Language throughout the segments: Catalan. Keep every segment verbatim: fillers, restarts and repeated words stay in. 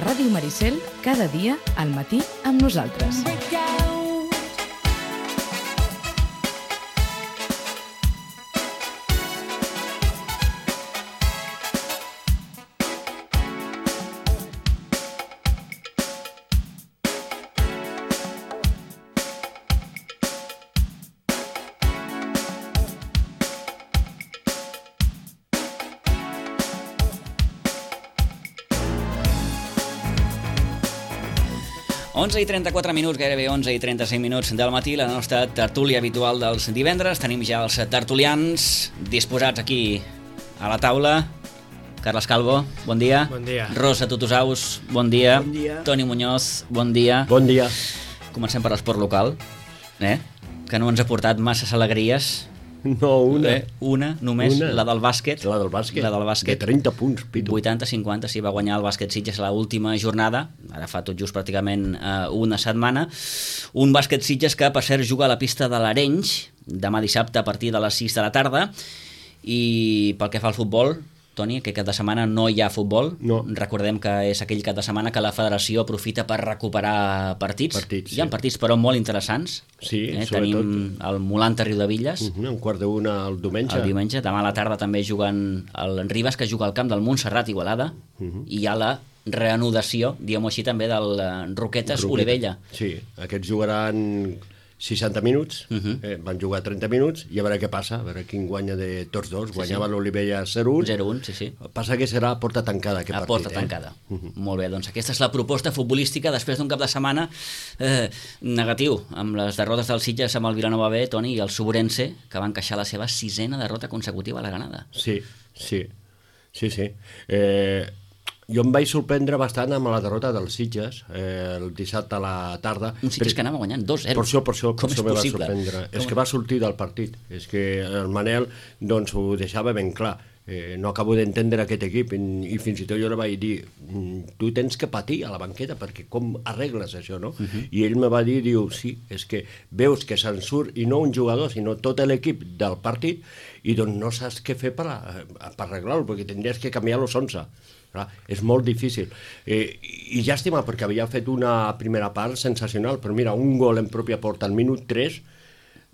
A Ràdio Maricel, cada dia, al matí, amb nosaltres. onze i trenta-quatre minuts, gairebé onze i trenta-cinc minuts del matí, la nostra tertúlia habitual dels divendres. Tenim ja els tertulians disposats aquí a la taula. Carles Calvo, bon dia. Bon dia. Rosa Tutusaus, bon dia. Bon dia. Toni Muñoz, bon dia. Bon dia. Comencem per l'esport local, eh? que no ens ha portat masses alegries. No, una. Eh? Una, només, una. la del bàsquet. La del bàsquet. La del bàsquet. De trenta punts, Pitu. vuitanta cinquanta, sí, va guanyar el bàsquet Sitges a l'última jornada, ara fa tot just pràcticament eh, una setmana. Un bàsquet Sitges que, per cert, juga a la pista de l'Arenys, demà dissabte a partir de les sis de la tarda. I pel que fa al futbol, Toni, que cap de setmana no hi ha futbol. No. Recordem que és aquell cap de setmana que la federació aprofita per recuperar partits. Partits, hi ha sí. partits, però molt interessants. Sí, eh? sobretot. Tenim el Molanta Riudevilles, Uh -huh, un quart d'una el diumenge. el diumenge. Demà a la tarda també juguen el Ribes, que juga al camp del Montserrat Igualada, Uh -huh. i hi ha la reanudació, diguem-ho així, també del eh, Roquetes Roqueta. Olivella. Sí, aquests jugaran seixanta minuts, Uh -huh. eh, van jugar trenta minuts, i a veure què passa, a veure quin guanya de tots dos. Guanyava sí. l'Olivella zero un. zero un, sí, sí. Passa que serà a porta tancada aquest A partit. porta eh? tancada. Uh -huh. Molt bé, doncs aquesta és la proposta futbolística després d'un cap de setmana eh, negatiu, amb les derrotes del Sitges amb el Vilanova B, Toni, i el Sobrense, que van encaixar la seva sisena derrota consecutiva a la Granada. Sí, sí, sí, sí. Eh, jo em vaig sorprendre bastant amb la derrota dels Sitges eh, el dissabte a la tarda. Un Sitges que anava guanyant dos zero. Per això, per això, per Com això és me va possible? sorprendre. Com... És que va sortir del partit. És que el Manel doncs, ho deixava ben clar. Eh, no acabo d'entendre aquest equip, i, i fins i tot jo li vaig dir, tu tens que patir a la banqueta, perquè com arregles això, no? Uh -huh. I ell me va dir, diu, sí, és que veus que se'n surt, i no un jugador, sinó tot l'equip del partit, i doncs no saps què fer per, a, per arreglar-ho, perquè tindries que canviar los onze. Clar, és molt difícil. Eh, I llàstima, perquè havia fet una primera part sensacional, però mira, un gol en pròpia porta al minut tres,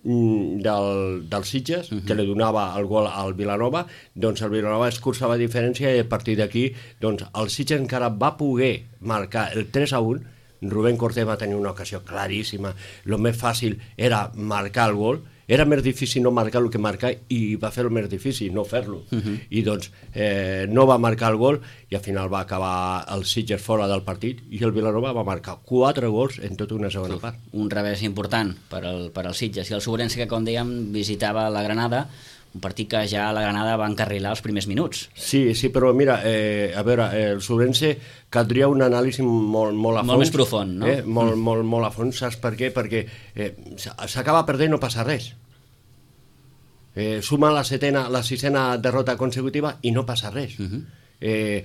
del, del Sitges, uh -huh. que li donava el gol al Vilanova, doncs el Vilanova escurçava diferència, i a partir d'aquí doncs el Sitges encara va poder marcar el tres a un. Rubén Cortés va tenir una ocasió claríssima. El més fàcil era marcar el gol, era més difícil no marcar el que marcar, i va fer el més difícil no fer-lo. Uh -huh. I doncs eh, no va marcar el gol, i al final va acabar el Sitges fora del partit, i el Vilanova va marcar quatre gols en tota una segona part. Un revés important per al, per al Sitges. I el Sobrense, que com dèiem visitava la Granada, un partit que ja la Granada va encarrilar els primers minuts. Sí, sí, però mira, eh, a veure, eh, el Sobrense caldria un anàlisi molt, molt a fons. Molt més profund, no? Eh, molt, mm. molt, molt a fons, saps per què? Perquè eh, s'acaba perdent, no passa res. Eh, suma la setena, la sisena derrota consecutiva i no passa res. Uh-huh. eh,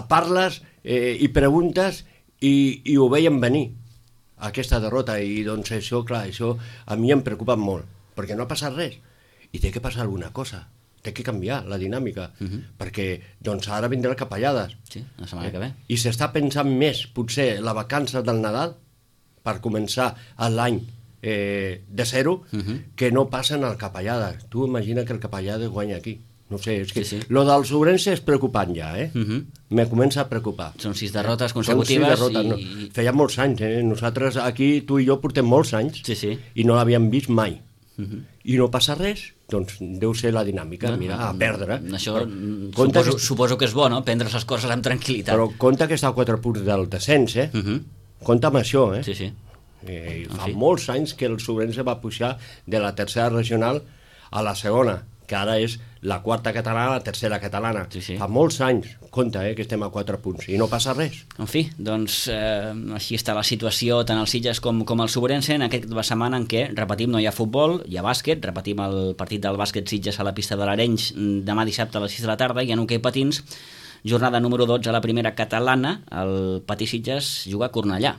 parles eh, i preguntes i, i ho veiem venir, aquesta derrota, i doncs això, clar, això a mi em preocupa molt, perquè no ha passat res, i té que passar alguna cosa, té que canviar la dinàmica, uh-huh. perquè doncs ara vindrà Capellades. Sí, la setmana eh? que ve. I s'està pensant més, potser, la vacança del Nadal, per començar l'any eh, de zero, uh-huh. que no passen al Capellades. Tu imagina que el Capellades guanya aquí. No sé, és que sí, sí. Lo del Sobrense és preocupant ja, eh? Uh-huh. Me comença a preocupar. Són sis derrotes consecutives. Són sis derrotes, i... no. Feia molts anys, eh? Nosaltres aquí, tu i jo, portem molts anys, sí, sí. i no l'havíem vist mai. Uh-huh. I no passa res, doncs deu ser la dinàmica, no, mira, a perdre. Això però, suposo, que... suposo que és bo, no?, prendre les coses amb tranquil·litat. Però compte que està a quatre punts del descens, eh? Uh-huh. Compte amb això, eh? Sí, sí. Eh, fa fi. molts anys que el Sobrense va pujar de la tercera regional a la segona, que ara és la quarta catalana, la tercera catalana. Sí, sí. Fa molts anys, compte, eh, que estem a quatre punts, i no passa res. En fi, doncs eh, així està la situació tant al Sitges com, com al Sobrense en aquest setmana en què, repetim, no hi ha futbol, hi ha bàsquet, repetim el partit del bàsquet Sitges a la pista de l'Arenys demà dissabte a les sis de la tarda, i en hoquei patins, jornada número dotze a la primera catalana, el Patí Sitges juga a Cornellà.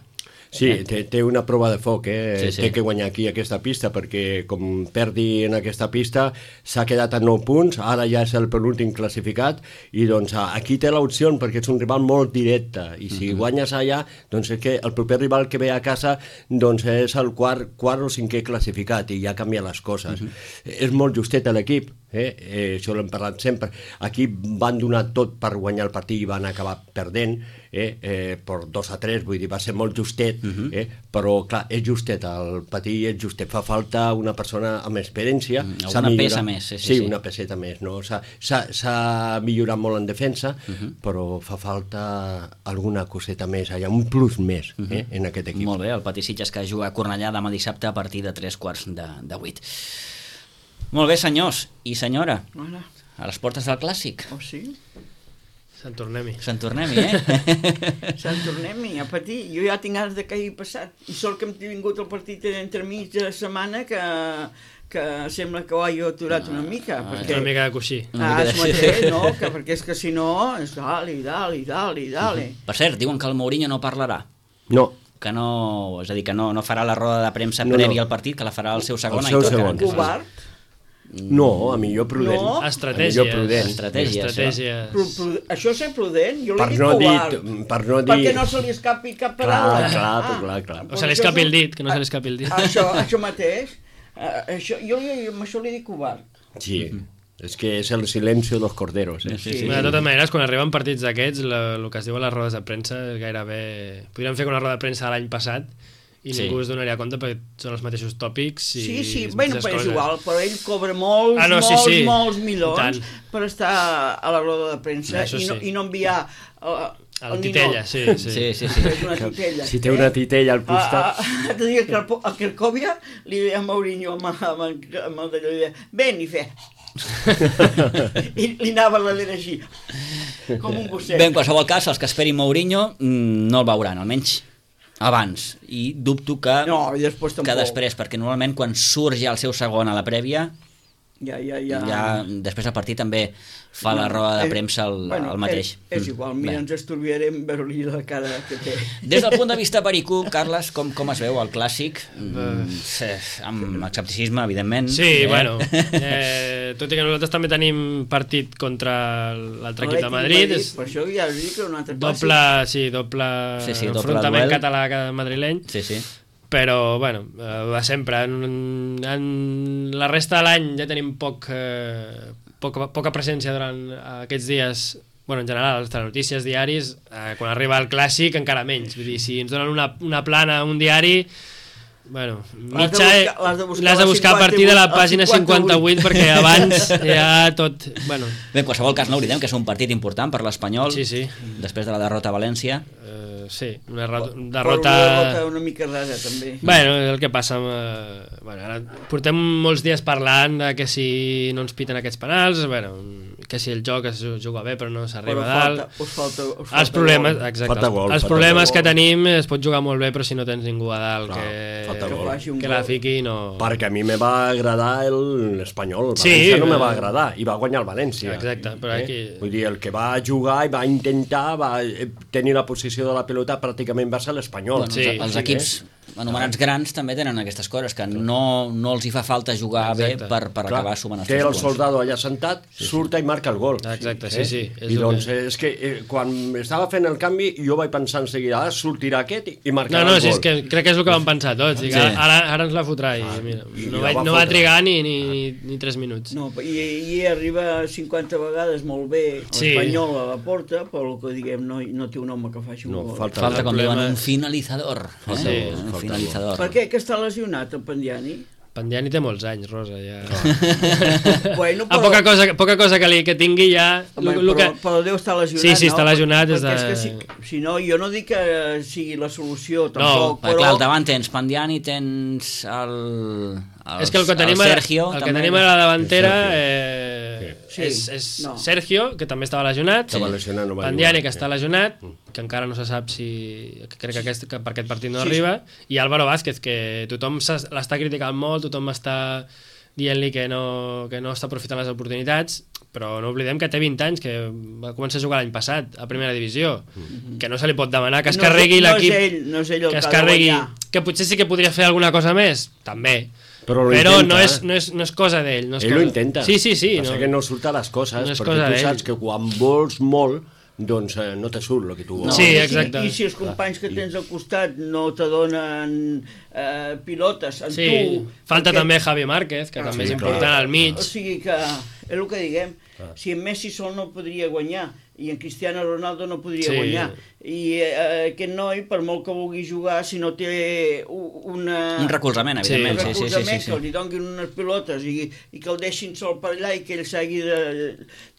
Sí, eh? té, té una prova de foc, eh? Sí, sí. Té que guanyar aquí aquesta pista, perquè com perdi en aquesta pista s'ha quedat a nou punts, ara ja és el penúltim classificat, i doncs aquí té l'opció perquè és un rival molt directe, i si uh-huh. guanyes allà, doncs és que el proper rival que ve a casa doncs és el quart, quart o cinquè classificat, i ja canvia les coses. Uh-huh. És molt justet l'equip, eh? Eh, això l'hem parlat sempre. Aquí van donar tot per guanyar el partit i van acabar perdent, eh? Eh, per dos a tres, vull dir, va ser molt justet, uh-huh. eh? Però clar, és justet, el patir és justet, fa falta una persona amb experiència. Mm, una millorat, peça més, sí, sí, sí, sí. una peseta més, no? S'ha millorat molt en defensa, uh-huh. però fa falta alguna coseta més, allà, un plus més, uh-huh. eh? En aquest equip. Molt bé, el Patí Sitges que juga a Cornellà demà dissabte a partir de tres quarts de, de vuit. Molt bé, senyors i senyora, Hola. a les portes del Clàssic. Oh, sí? Sant tornem-hi. Sant tornem-hi, eh? Sant tornem-hi a patir. Jo ja tinc ganes de que hagi passat. I sort que hem tingut el partit entremig de la setmana que, que sembla que ho he aturat una mica. Ah, perquè... una mica de coixí. Una Ah, mica de- es mateix, no? Que, perquè és que si no, és dale, dale, dale, dale. Per cert, diuen que el Mourinho no parlarà. No, Que no, és a dir, que no, no farà la roda de premsa No, no. prèvia al partit, que la farà el seu segon. El seu Aitor segon. Caranques. Covard. no, a millor prudent. No. Estratègia. A millor prudent. Estratègia, Estratègia. Pru, pru, això és ser prudent? Jo Per l'he dit no dir, covard. per no dir... Perquè no se li escapi cap Clar, paraula. clar, clar, clar. O se li escapi el dit, que no se li escapi el dit. Això, això mateix. Uh, això, jo li, amb això li dic covard. Sí, és que és el silenci dels corderos, eh? Sí, sí. De totes maneres, quan arriben partits d'aquests, el que es diu a les rodes de premsa és gairebé... Podríem fer una roda de premsa l'any passat i Sí. ningú es donaria compte perquè són els mateixos tòpics i Sí, sí, les bueno, mateixes però és coses. igual, però ell cobra molts, Ah, no, sí, molts, sí. molts I milions tant. per estar a la roda de premsa Això i no, sí. i no enviar uh, El titella, sí, sí. Sí, sí, sí. És una titella. Si té una titella al Ah, costat... ah, ah, dir que el, a Cracòvia li deia a Mourinho amb, amb, amb, amb el d'allò, li deia, ven, i fe. I li anava la dent així, com un gosset. Bé, en qualsevol cas, els que esperin Mourinho mm, no el veuran, almenys abans. I dubto que, No, i després tampoc. que després, perquè normalment quan surt ja el seu segon a la prèvia, Ja, ja, ja. ja després el partit també fa la roda de premsa el, bueno, el mateix. És, és igual, mira, Bé. ens estalviarem veure-li la cara que té. Des del punt de vista perico, Carles, com, com es veu el Clàssic? Mm, eh, amb escepticisme, evidentment. Sí, eh? bueno, eh, tot i que nosaltres també tenim partit contra l'altre equip de Madrid, és Per això ja us dic que un altre doble, sí, doble, Sí, sí, doble enfrontament duel. català que madrileny, Sí, sí. però, bueno, eh, va sempre. En, en la resta de l'any ja tenim poc, eh, poca, poca presència durant aquests dies, bueno, en general, les telenotícies, diaris, eh, quan arriba el Clàssic encara menys. Vull dir, si ens donen una, una plana, un diari, bueno, L'has de mitja, buscar- l'has de buscar l'has de a buscar a partir de la cinquanta-vuit, pàgina cinquanta-vuit, perquè abans ja tot... Bueno, Bé, en qualsevol cas no oblidem que és un partit important per l'Espanyol, sí, sí, després de la derrota a València. eh, sí, una derrota... Però una derrota... derrota una mica rara, també. Bueno, el que passa amb... Eh, bueno, ara portem molts dies parlant de que si no ens piten aquests penals, bueno, que si el joc es juga bé però no s'arriba Però a dalt. falta, us falta, us falta Els problemes, gol. exacte, Falta gol, els falta problemes gol. que tenim es pot jugar molt bé però si no tens ningú a dalt Clar, que, falta que, gol. faci un que gol. la fiqui no... Perquè a mi me va agradar el- l'Espanyol, el Sí, València no me eh, va agradar, i va guanyar el València. Exacte, però aquí... Vull dir, el que va jugar i va intentar, va eh, tenir la posició de la pelota, pràcticament va ser l'Espanyol. Bueno, Sí, els, els sí, equips anomenats grans també tenen aquestes coses, que no, no els hi fa falta jugar Exacte. bé per, per Clar, acabar sumant els té tres el punts. soldado allà sentat, surta i marca el gol. Exacte, sí, sí, és I el doncs que- és que eh, quan estava fent el canvi jo vaig pensar en seguida, ah, sortirà aquest i, i No, marcarà no, el si gol. és que crec que és el que vam pensar tots. I que Sí. ara, ara ens la fotrà i mira, i no, la va, va no va fotre. trigar ni, ni, ni, ni tres minuts. No, i, i arriba cinquanta vegades molt bé Sí. l'Espanyol a la porta, però el que diguem no, no té un home que faci un No, gol. falta, Falta, El com diuen, problema- un finalitzador. Eh? Sí, un falta finalitzador. Per què? Que està lesionat el Pandiani? Pandiani té molts anys, Rosa, ja... Bueno, A poca cosa, poca cosa que, li, que tingui ja... Home, lo, lo però, que... però deu estar lesionat, Sí, sí, no? està lesionat des Perquè de- és que si, si no, jo no dic que sigui la solució, No, tampoc, Perquè, però... clar, al davant tens Pandiani, tens el, el, És que el que tenim, el a- Sergio, el que també. tenim a la davantera El eh, Sí. és, és No. Sergio, que també estava lesionat, Estava lesionat, no va Pandiani, jugar. que està lesionat, que encara no se sap si... que crec que, aquest, que per aquest partit no Sí, arriba, i Álvaro Vázquez, que tothom s'es- l'està criticant molt, tothom està dient-li que no, que no està aprofitant les oportunitats, però no oblidem que té vint anys, que va començar a jugar l'any passat a primera divisió, mm-hmm. que no se li pot demanar que es no, carregui no l'equip, és ell, no és ell el que es que ha de carregui, guanyar. que potser sí que podria fer alguna cosa més, també, però, però intenta, no, és, eh? no, és, no és cosa d'ell. No és ell cosa... ho intenta. Sí, sí, sí. Passa no. que no surt a les coses, No és perquè cosa tu d'ell. saps que quan vols molt, doncs eh, no te surt el que tu vols. No. Sí, I si- exacte. I si els companys que tens al costat no te donen eh, pilotes en Sí, tu... falta perquè- també Javi Márquez, que Ah, també sí, és important clar. al mig. O sigui que és el que diguem, si en Messi sol no podria guanyar i en Cristiano Ronaldo no podria Sí. guanyar, i eh, aquest noi, per molt que vulgui jugar, si no té u- una... Un recolzament, Sí. evidentment. un Sí, sí, sí, recolzament, sí, que sí. li donin unes pilotes i, i que el deixin sol per allà i que ell s'hagi de,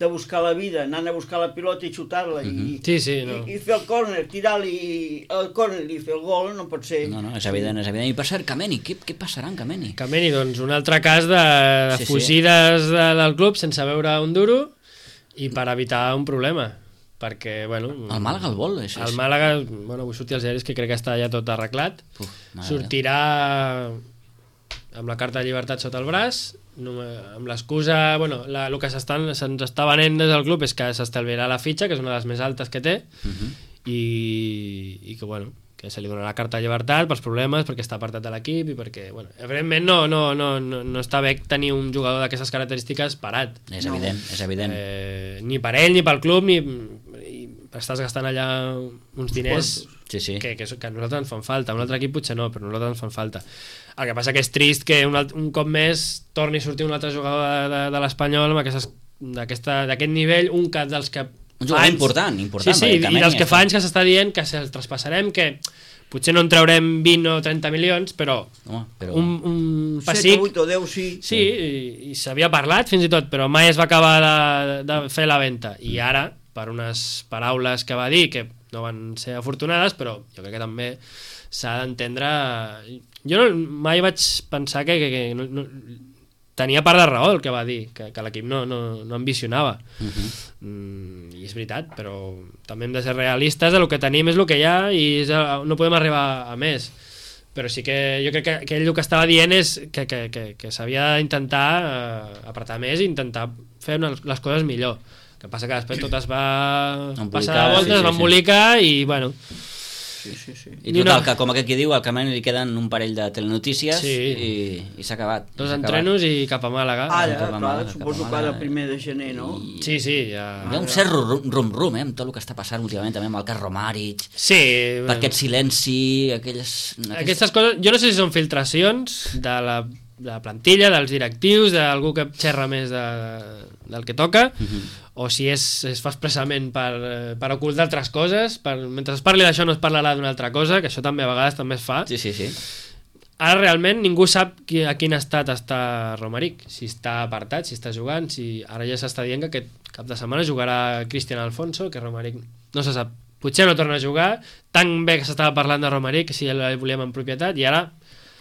de buscar la vida, anant a buscar la pilota i xutar-la i, Sí, sí, no. i, i fer el córner, tirar-li el córner i fer el gol, no pot ser. No, no, és evident, és evident. I per cert, Kameni, què, què passarà amb Kameni? Kameni, doncs, un altre cas de, de Sí, sí. fugides de, del club sense veure un duro i per evitar un problema. Perquè, bueno... El Màlaga el vol? És, El Màlaga, bueno, avui sortir als diaris que crec que està ja tot arreglat. Uf, mare Sortirà amb la carta de llibertat sota el braç, no, amb l'excusa... Bueno, la, el que s'estan- se'ns està venent des del club és que s'estalviarà la fitxa, que és una de les més altes que té, Uh -huh. i, i que, bueno, que se li donarà carta de llibertat pels problemes, perquè està apartat de l'equip i perquè, bueno, evidentment no, no, no, no, no està bé tenir un jugador d'aquestes característiques parat. És No. evident, és evident. Eh, ni per ell, ni pel club, ni... i estàs gastant allà uns diners Sí, sí. que, que, que a nosaltres ens fan falta. A un altre equip potser no, però a nosaltres ens fan falta. El que passa que és trist que un, alt, un cop més torni a sortir un altre jugador de, de, de l'Espanyol amb aquestes- d'aquesta- d'aquest nivell, un cap dels que... Un jugador fa anys- important, important, Sí, sí, perquè i Kameni dels que està- fa anys que s'està dient que se'ls traspassarem, que potser no en traurem vint o trenta milions, però, Home, però... un, un set, pessic... vuit o deu, sí. Sí, i, i s'havia parlat fins i tot, però mai es va acabar de, de fer la venda. I ara, per unes paraules que va dir, que no van ser afortunades, però jo crec que també s'ha d'entendre... Jo no, mai vaig pensar que, que, que no, no, tenia part de raó el que va dir, que, que l'equip no, no, no ambicionava. Uh -huh. Mm, I és veritat, però també hem de ser realistes, el que tenim és el que hi ha i és, no podem arribar a més. Però sí que jo crec que, que ell el que estava dient és que, que, que, que s'havia d'intentar eh, apretar més i intentar fer una, les coses millor. El que passa que després tot es va Embolicar, passar de voltes, sí, sí, va sí. embolicar i bueno... Sí, sí, sí. I Ni total, una- que com aquest qui diu, al Kameni li queden un parell de telenotícies Sí. i, i s'ha acabat. Dos s'ha entrenos i cap a Màlaga. Ara, cap a clar, Màlaga, suposo cap a que ara Màlaga. primer de gener, no? I... Sí, sí, ja... Hi ha un cert rum-rum, eh, amb tot el que està passant últimament, també amb el cas Romàric, Sí, per aquest silenci, aquelles... aquestes coses, jo no sé si són filtracions de la, de la plantilla, dels directius, d'algú que xerra més de, del que toca, Uh -huh. o si és, es fa expressament per, eh, per ocultar altres coses, per, mentre es parli d'això no es parlarà d'una altra cosa, que això també a vegades també es fa. Sí, sí, sí. Ara realment ningú sap qui, a quin estat està Romaric, si està apartat, si està jugant, si ara ja s'està dient que aquest cap de setmana jugarà Cristian Alfonso, que Romaric no se sap, potser no torna a jugar, tan bé que s'estava parlant de Romaric, si el volíem en propietat, i ara,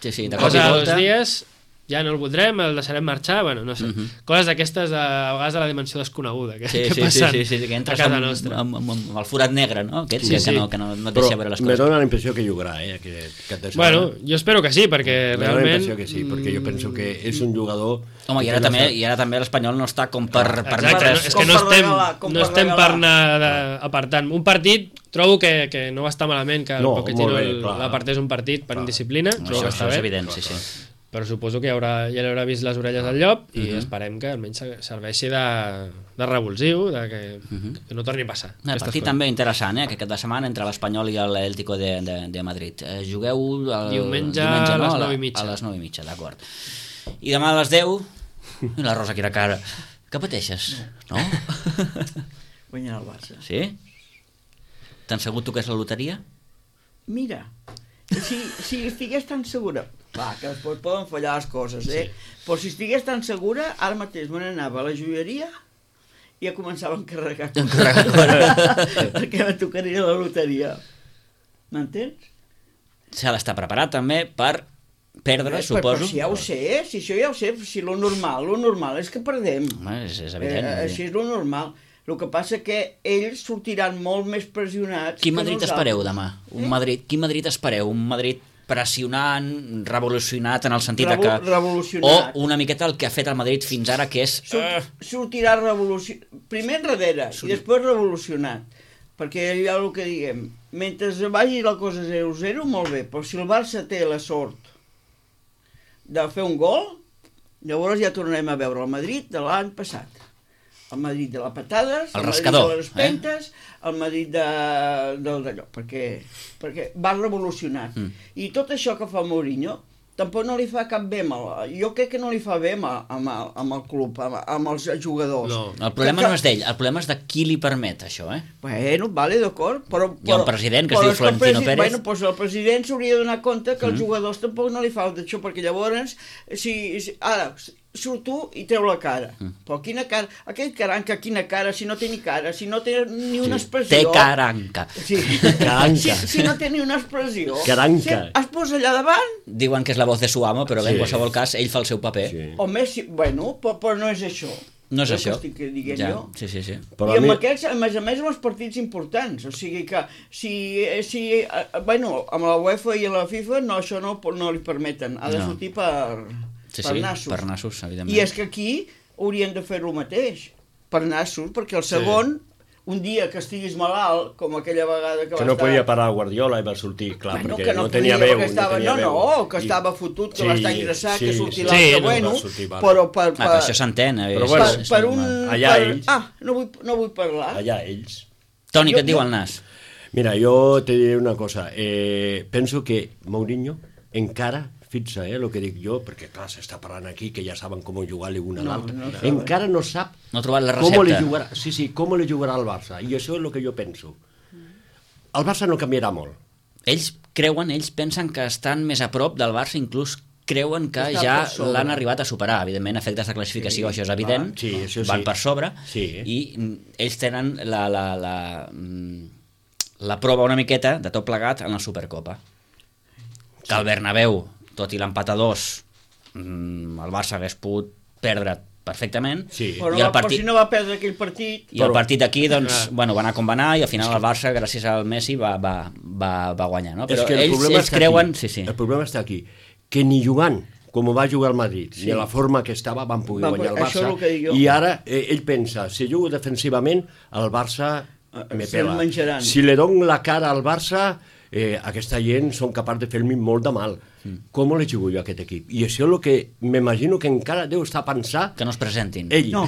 Sí, sí, de cop i cosa de dos volta... dies, ja no el voldrem, el deixarem marxar, bueno, no sé, Uh -huh. coses d'aquestes de, a vegades de la dimensió desconeguda que, Sí, que sí, sí, passen sí, sí, que a entres casa amb, nostra. amb, amb, amb el forat negre, no? Aquest, Sí, que, sí. que, no, que no, no et Però deixa veure les me coses. dóna la impressió que jugarà, eh, aquest cap de setmana. Bueno, jo espero que sí, perquè Me dóna la realment... impressió que sí, perquè jo penso que és un jugador... Home, i ara, que no també, està- i ara també l'Espanyol no està com per Exacte, permetre... no, és Com que no per estem, regalar, com no per estem per regalar. anar de, apartant. Un partit trobo que, que no va estar malament, que el No, Pochettino molt bé, el- clar. l'apartés un partit per indisciplina, trobo que Això, està això és bé, evident, sí, sí. però suposo que ja, haurà, ja l'haurà vist les orelles del llop i Uh -huh. esperem que almenys serveixi de, de revulsiu, de que, Uh -huh. que no torni a passar. Un aquestes partit coses. també interessant, eh, aquest cap de setmana entre l'Espanyol i l'Atlético de, de, de Madrid. Eh, jugueu el, Diumenge a les nou i mitja. A les nou i mitja, d'acord. I demà a les deu... I la Rosa, quina cara. Que pateixes? No? Guanyar el Barça. Sí? T'han segut tu que és la loteria? Mira, si, si estigués tan segura... Clar, que després poden fallar les coses, eh? Sí. Però si estigués tan segura, ara mateix me n'anava a la joieria i ja començava a encarregar coses. Perquè me tocaria la loteria. M'entens? S'ha d'estar preparat també per perdre, Eh, suposo. Però si ja ho sé, si això ja ho sé, si lo normal, lo normal és que perdem. Home, és, és evident. Eh, així és lo normal. El que passa que ells sortiran molt més pressionats Quin que Madrid nosaltres. espereu demà? Un Eh? Madrid, quin Madrid espereu? Un Madrid pressionant, revolucionat en el sentit Revo- de que... revolucionat. O una miqueta el que ha fet el Madrid fins ara, que és... Surt, sortirà revolucionat. Primer enrere i després revolucionat. Perquè hi ha el que diguem, mentre vagi la cosa zero zero, molt bé, però si el Barça té la sort de fer un gol, llavors ja tornarem a veure el Madrid de l'any passat. El Madrid de les patades, El el, rascador, Madrid de les pentes, eh? el Madrid de, del d'allò, perquè, perquè va revolucionat. Mm. I tot això que fa Mourinho tampoc no li fa cap bé, amb el, jo crec que no li fa bé amb, amb, el, amb el club, amb, amb els jugadors. No. El problema que, no és d'ell, el problema és de qui li permet això, eh? Bueno, vale, d'acord, però... Hi ha un però- president que es però diu és que el Florentino presi- Pérez. Bueno, doncs el president s'hauria de donar compte que els jugadors tampoc no li falta això, perquè llavors, si, si ara, surt tu i treu la cara. Però quina cara... Aquell caranca, quina cara, si no té ni cara, si no té ni una expressió... Té caranca. Sí. Caranca. Si, si no té ni una expressió... Caranca. Si es posa allà davant, Diuen que és la voz de su amo, però bé, en Sí. qualsevol cas, ell fa el seu paper. Sí. o més, si, bueno, però, però no és això. No és el això. Que estic dient Ja, jo. sí, sí, sí. Però I a amb mi- aquests, a més a més, amb els partits importants. O sigui que, si, si eh, bueno, amb la UEFA i la FIFA, no, això no, no li permeten. Ha de No. sortir per, Sí, per sí, nassos. per nassos, evidentment. I és que aquí haurien de fer el mateix, per nassos, perquè el segon, un dia que estiguis malalt, com aquella vegada que, Que va no estar... podia parar Guardiola i va sortir, clar, Bueno, perquè que no, no tenia podia, veu. perquè estava, no, tenia no, veu. no, que estava fotut, que Sí, va estar ingressat, sí, que sortia sí. l'altre, Sí, no, bueno, va sortir, vale. però per... Ah, però això s'entén. eh, Però és- bueno, per, és per normal. un... Allà per, ells. Ah, no vull, no vull parlar. Allà ells. Toni, Jo- què et diu jo- el nas? Mira, jo te diré una cosa. Eh, penso que Mourinho encara, fixa, eh, el que dic jo, perquè clar, s'està parlant aquí que ja saben com jugar l'un a No, l'altre. no saben. encara no sap No ha trobat la com li recepta. jugarà, sí, sí, com li jugarà al Barça. I això és el que jo penso. El Barça no canviarà molt. Ells creuen, ells pensen que estan més a prop del Barça, inclús creuen que Està ja per sobre. l'han arribat a superar. Evidentment, efectes de classificació, Sí, això és evident, clar, sí, això sí. van per sobre, Sí. i mm, ells tenen la, la, la, mm, la prova una miqueta de tot plegat en la Supercopa. Que el Bernabéu, tot i l'empat a dos, mm, el Barça hagués pogut perdre perfectament, Sí. Però, i el va, però partit... si no va perdre aquell partit... I el Però- partit aquí, doncs, Ah. bueno, va anar com va anar i al final el Barça, gràcies al Messi, va, va, va, va guanyar, no? Però és que el ells, problema ells està creuen... aquí. Sí, sí. El problema està aquí, que ni jugant com va jugar el Madrid, Sí. ni a la forma que estava van poder Va, guanyar el això és Barça, el que dic jo. i ara eh, ell pensa, si jugo defensivament, el Barça Eh, me se'l pela. menjaran. Si li dono la cara al Barça, eh, aquesta gent són capaç de fer-me molt de mal. Mm. Com li jugo jo a aquest equip? I això és el que m'imagino que encara deu estar pensant Que no es presentin. ell. No.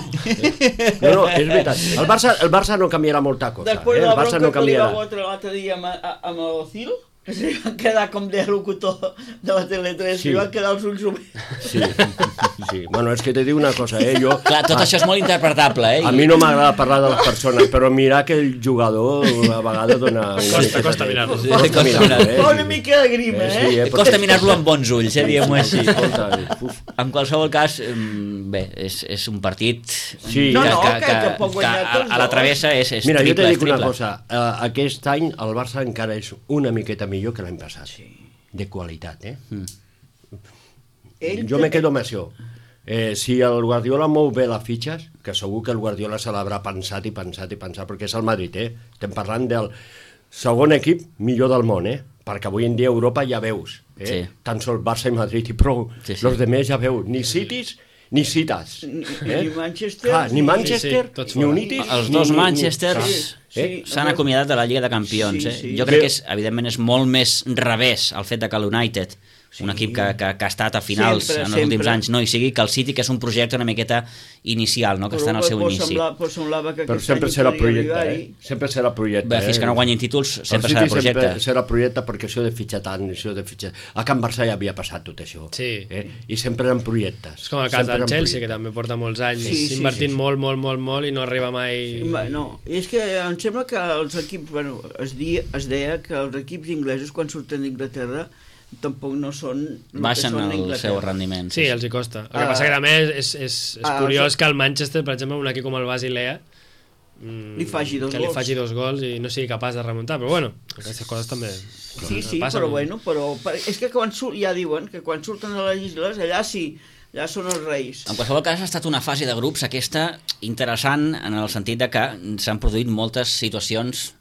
no, no, és veritat. El Barça, el Barça no canviarà molta cosa. Després eh? de El la Barça bronca no que li va canviarà. fotre l'altre dia amb, a- amb l'Ocil, que se va quedar com de locutor de la Tele tres, Sí. li van quedar els ulls oberts. Sí, sí. Bueno, és que te dic una cosa, eh? Jo, Clar, tot això és molt interpretable, eh? a mi no m'agrada parlar de les persones, però mirar que el jugador a vegades dona... una Costa, miqueta costa de- mirar-lo. Sí, Costa costa mirar-lo, mirar-lo. eh? Fa una mica de grima, Eh, eh? sí, eh? Costa mirar-lo amb bons ulls, eh? Diguem-ho així. Escolta, uf. En qualsevol cas, mm, bé, és, és un partit Sí. No, que, no, que, que- que, que pot que guanyar a, tots a la dos. travessa és, és Mira, jo triple, te és dic una triple. cosa, uh, aquest any el Barça encara és una miqueta millor que l'any passat. Sí. De qualitat, eh? Mm. Ell Jo té- me quedo amb això. Eh, si el Guardiola mou bé les fitxes, que segur que el Guardiola se l'haurà pensat i pensat i pensat, perquè és el Madrid, eh? Estem parlant del segon equip millor del món, eh? Perquè avui en dia a Europa ja veus, eh? Sí. Tan sols Barça i Madrid i prou. Sí, sí. Los demés ja veus, ni citis ni cites. Ni- Eh? ni Manchester, Clar, ni ni- Manchester, Sí, sí, tots ni fora. United... Els ni- dos ni- ni- Manchesters Sí, sí. Eh? s'han acomiadat de la Lliga de Campions. Sí, Eh? sí. Jo crec Bé- que, és, evidentment, és molt més revés el fet de que l'United, un equip que, que, que ha estat a finals Sempre, en els últims sempre. anys, no hi sigui, que el City, que és un projecte una miqueta inicial, no? que està en el seu Però inici. semblava, però semblava que Però aquest sempre any serà podia projecte, arribar-hi. eh? Sempre serà projecte, Bé, fins eh? que no guanyin títols, sempre El serà City projecte. Sempre serà projecte perquè això de fitxar tant, això de fitxar... A Can Barça ja havia passat tot això. Sí. Eh? I sempre eren projectes. És com el cas Sempre del eren Chelsea, que projectes. també porta molts anys Sí, sí, invertint sí, sí. molt, molt, molt, molt i no arriba mai... Va, No, i és que em sembla que els equips, bueno, es, di, es deia que els equips inglesos quan surten d'Inglaterra tampoc no són el Baixen que són a el Inglaterra. seu rendiment. Sí, els hi costa. El que Ah. passa que també és, és, és, és Ah, curiós sí. que el Manchester, per exemple, un equip com el Basilea, mm, Li faci dos que li gols. faci dos gols i no sigui capaç de remuntar, però bueno, aquestes coses també Sí, sí, passen. però bueno, però per- és que quan surt, ja diuen que quan surten a les illes, allà sí, allà són els reis. En qualsevol cas, ha estat una fase de grups aquesta interessant en el sentit de que s'han produït moltes situacions,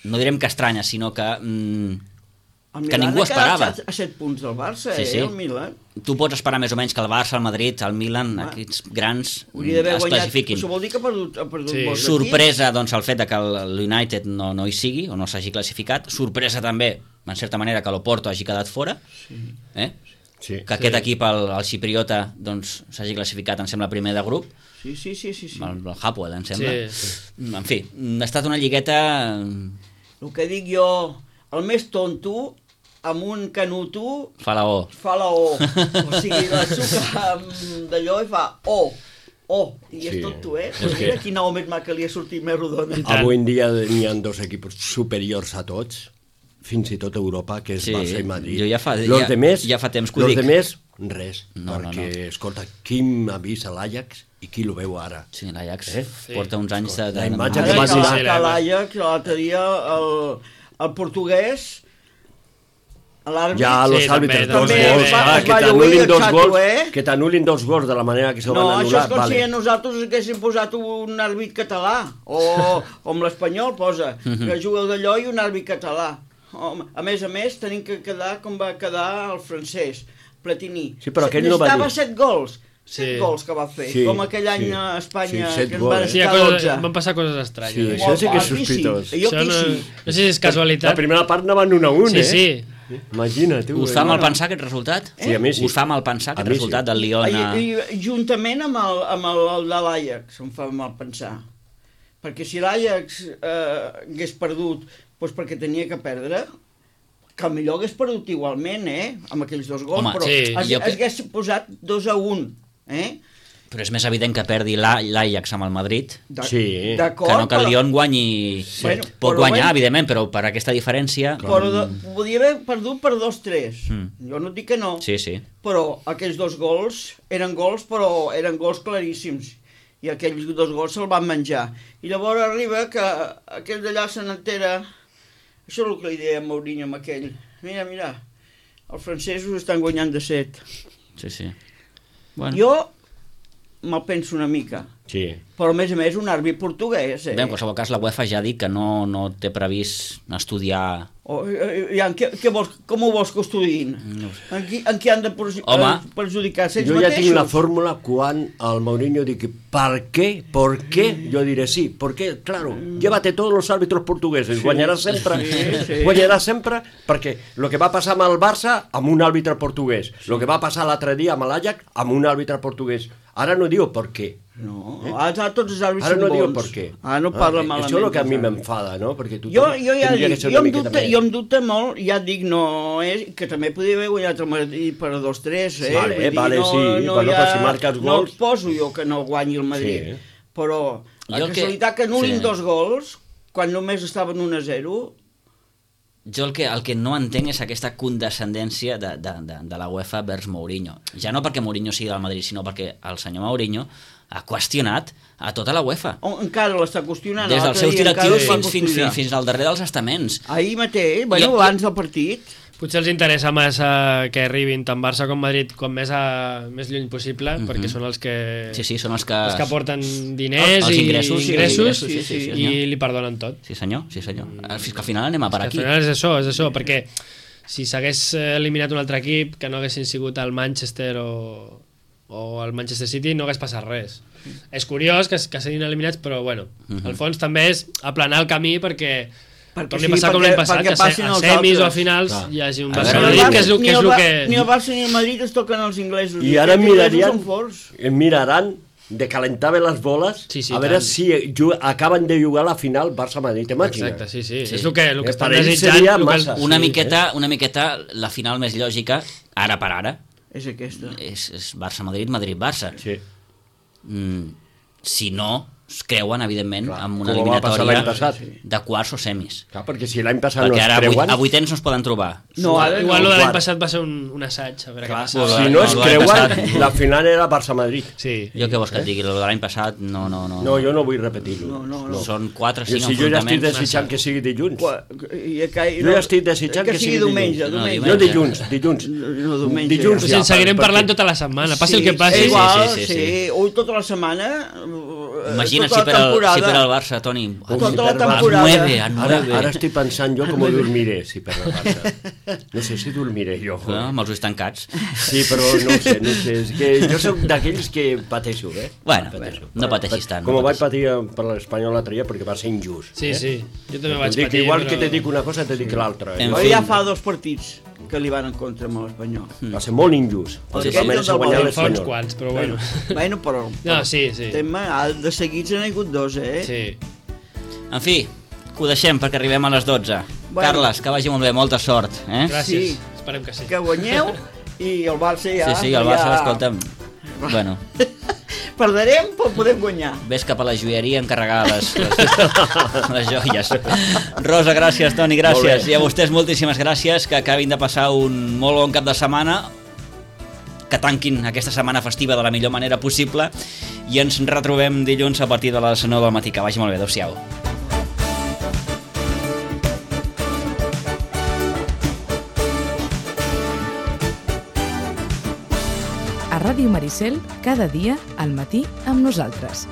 no direm que estranyes, sinó que mm, El que Milan ningú ha quedat esperava. a set punts del Barça, Sí, eh, sí. el Milan. Tu pots esperar més o menys que el Barça, el Madrid, el Milan, ah. aquests grans Hauria d'haver es guanyat, classifiquin. això vol dir que ha perdut, ha perdut Sí. molts Sorpresa, doncs, el fet de que el United no, no hi sigui o no s'hagi classificat. Sorpresa també, en certa manera, que l'Oporto hagi quedat fora. Sí. Eh? Sí. Que aquest equip, el, el xipriota, doncs, s'hagi classificat, em sembla, primer de grup. Sí, sí, sí, sí, sí. El, el Hapoel, em sembla. Sí, sí. En fi, ha estat una lligueta... El que dic jo, el més tonto, amb un canuto, Fa la O. fa la O. O sigui, la suca amb d'allò i fa O. O. I és Sí. tot tu, eh? És Pues que- mira quina O més maca li ha sortit més rodona. Avui en dia n'hi ha dos equips superiors a tots, fins i tot a Europa, que és Sí, Barça i Madrid. jo ja fa- los ja- demés, ja fa temps que ho los dic. demés, res. No, no, perquè, escolta, qui m'ha vist a l'Ajax i qui lo veu ara? Sí, l'Ajax Eh? porta uns anys de... La de- imatge Ara que que va sí, la- sí, que la- l'Ajax, l'altre dia, el, el portuguès, l'àrbitre... Ja, Sí, los també, àrbitres, dos també. gols, Es va- clar, es que va lluir t'anul·lin el dos xato, gols, eh? que t'anul·lin dos gols de la manera que se No, van això anul·lar. és com vale. si nosaltres haguéssim posat un àrbit català, o, o amb l'espanyol posa, que juga d'allò i un àrbit català. Home, a més a més, tenim que quedar com va quedar el francès, Platini. Sí, però aquell no va Necessitava dir. set gols, set Sí. gols que va fer, Sí, com aquell any sí. a Espanya, Sí, set que ens gols, van eh? Sí, hi ha estar coses, dotze. van passar coses estranyes. Sí, eh? això sí que és Aquí sí. sospitós. Jo Això aquí no, sí. no sé si és casualitat. La primera part anaven un a un, Sí, eh? sí. Imagina't, tu. Us eh? fa mal pensar aquest resultat? Sí, a mi sí. Us fa mal pensar A aquest mi resultat sí. del Lyon a... I, i, juntament amb el, amb el, el de l'Ajax, em fa mal pensar. Perquè si l'Ajax eh, hagués perdut doncs perquè tenia que perdre, que millor hagués perdut igualment, eh? Amb aquells dos gols, Home, però sí, es, jo que- es hagués posat dos a un, eh? Però és més evident que perdi l'A- l'Ajax amb el Madrid De- Sí. D'acord, que no que el però- Lyon guanyi... Bueno, Pot però guanyar, bueno. evidentment, però per aquesta diferència... Però de, podia haver perdut per dos tres. Mm. Jo no et dic que no. Sí, sí. Però aquells dos gols eren gols, però eren gols claríssims. I aquells dos gols se'l van menjar. I llavors arriba que aquell d'allà se n'entera... Això és el que li deia a Mourinho amb aquell. Mira, mira, els francesos estan guanyant de set. Sí, sí. Bueno. Jo me'l penso una mica. Sí. Però, a més a més, un àrbit portuguès, eh? Bé, en qualsevol cas, la UEFA ja ha dit que no, no té previst estudiar... O, eh, ja, què, què vols, com ho vols que ho estudiïn? No En qui, en qui han de perju- Home. eh, perjudicar? Ells Jo ja mateixos? tinc la fórmula quan el Mourinho dice ¿por qué? ¿Por qué? Yo diré sí, porque, claro, llévate todos los árbitros portugueses, sí, guanyarà sempre, sí, sí. guanyarà sempre, perquè el que va passar amb el Barça amb un àrbitre portuguès, el sí. que va passar l'altre dia amb l'Ajax amb un àrbitre portuguès. Ara no diu per què. No, eh? ara tots els àrbits Ara són no diu bons. per què. Ara no parla Ah, malament. això és el que a mi dels àrbits. m'enfada, no? Perquè tu Jo, jo ja tindria dic, que ser jo una em, miqueta dubte, més. jo em dubte molt, ja et dic, no és, que també podria haver guanyat el Madrid per dos tres, eh? Vale, Vull dir, vale, no, sí, no, bueno, ja, però si marques no gols- et poso jo que no guanyi el Madrid, Sí. però la Jo el que- casualitat que anul·lin sí. dos gols, quan només estaven un a zero, Jo el que, el que no entenc és aquesta condescendència de, de, de, de la UEFA vers Mourinho. Ja no perquè Mourinho sigui del Madrid, sinó perquè el senyor Mourinho ha qüestionat a tota la UEFA. on encara l'està qüestionant. Des dels l'altre seus dia encara directius el va fins, fins, qüestionar. fins, fins al darrer dels estaments. Ahir mateix, bueno, I- abans del partit. Potser els interessa massa que arribin tant Barça com Madrid com més, a, més lluny possible, Mhm. perquè són els que, Sí, sí, són els que... els que aporten diners Els i ingressos, sí, ingressos, els ingressos, sí, sí, sí, i senyor. li perdonen tot. Sí, senyor, sí, senyor. Fins que al final anem a per Al aquí. final és això, és això, perquè si s'hagués eliminat un altre equip que no haguessin sigut el Manchester o, o el Manchester City no hagués passat res. És curiós que, que siguin eliminats, però bueno, Mhm. al fons també és aplanar el camí perquè Perquè torni sí, a passar com perquè- l'any passat, perquè que a passin se- a els semis o a altres. finals Clar. hi hagi un A Barça veure, Madrid, Barça- que és, el, ni que, és el el Bar- que... Ni el Barça ni el Madrid es toquen els inglesos. I ara Els inglesos mirarien, són forts. miraran de calentar bé les boles, Sí, sí, a veure tant. si ju- acaben de jugar a la final Barça-Madrid, t'imagines? Exacte, sí, sí, Sí. és el que, el que Eh, estan per ells desitjant. seria el que- massa. Una, Sí, miqueta, una miqueta la final més lògica, ara per ara, És aquesta. és, és Barça-Madrid, Madrid-Barça. Sí. Mm, si no, es creuen, evidentment, Clar, amb una com va passar l'any eliminatòria passat. de quarts o semis. Clar, perquè si l'any passat Perquè no es ara a vuit- creuen... a vuitens no es poden trobar. No, ara Igual no. lo de l'any quart. passat va ser un, un assaig, a veure Clar, què passa. sí. Si no es No, l'any creuen, passat- la final era Barça-Madrid. Sí. Jo què vols que et digui? El de l'any passat no, no, no. No, jo no vull repetir-ho. No, no, no. Són quatre o Jo, cinc si jo ja estic enfrontaments. desitjant que sigui dilluns. Qua- I, que, Jo ja estic desitjant que, que sigui sigui diumenge. dilluns. No, diumenge. Jo diumenge. dilluns, dilluns. No, diumenge. Dilluns Pues ja, en seguirem per- parlant perquè- tota la setmana, passi el que Sí, passi. és igual, sí, sí, sí, sí, sí. sí. Ui, tota la setmana, eh, Imagina tota si per, la el, temporada. si per al Barça, Toni. Tota la A temporada. nueve, a Ara, nueve. ara estic pensant jo com dormiré, si per la Barça. No sé si dormiré jo. No, amb els ulls tancats. Sí, però no ho sé, no ho sé. És que jo soc d'aquells que pateixo, eh? Bueno, pateixo. no pateixis tant. Com no vaig pateixis. patir per l'Espanyol l'altre dia perquè va ser injust. Sí, eh? sí, jo també vaig Dic, patir, igual però... que te dic una cosa, te dic l'altra. En Jo fi. ja fa dos partits que li van en contra amb l'Espanyol. Va ser molt injust. Perquè Perquè va ells mereixer no guanyar volen, Fa uns l'Espanyol. quants, però bueno. Bueno, però... No, sí, sí. Tema, de seguits n'ha hagut dos, eh? Sí. En fi, que ho deixem perquè arribem a les dotze. Bueno. Carles, que vagi molt bé, molta sort. Eh? Gràcies, Sí. esperem que sí. Que guanyeu i el Barça ja... Sí, sí, el Barça, ja... escolta'm... Bueno, Perdrem, però podem guanyar. ves cap a la joieria a encarregar les, les, les joies. Rosa, gràcies, Toni, gràcies. I a vostès moltíssimes gràcies, que acabin de passar un molt bon cap de setmana, que tanquin aquesta setmana festiva de la millor manera possible i ens retrobem dilluns a partir de les nou del matí. Que vagi molt bé, adéu-siau. A Ràdio Maricel, cada dia al matí amb nosaltres.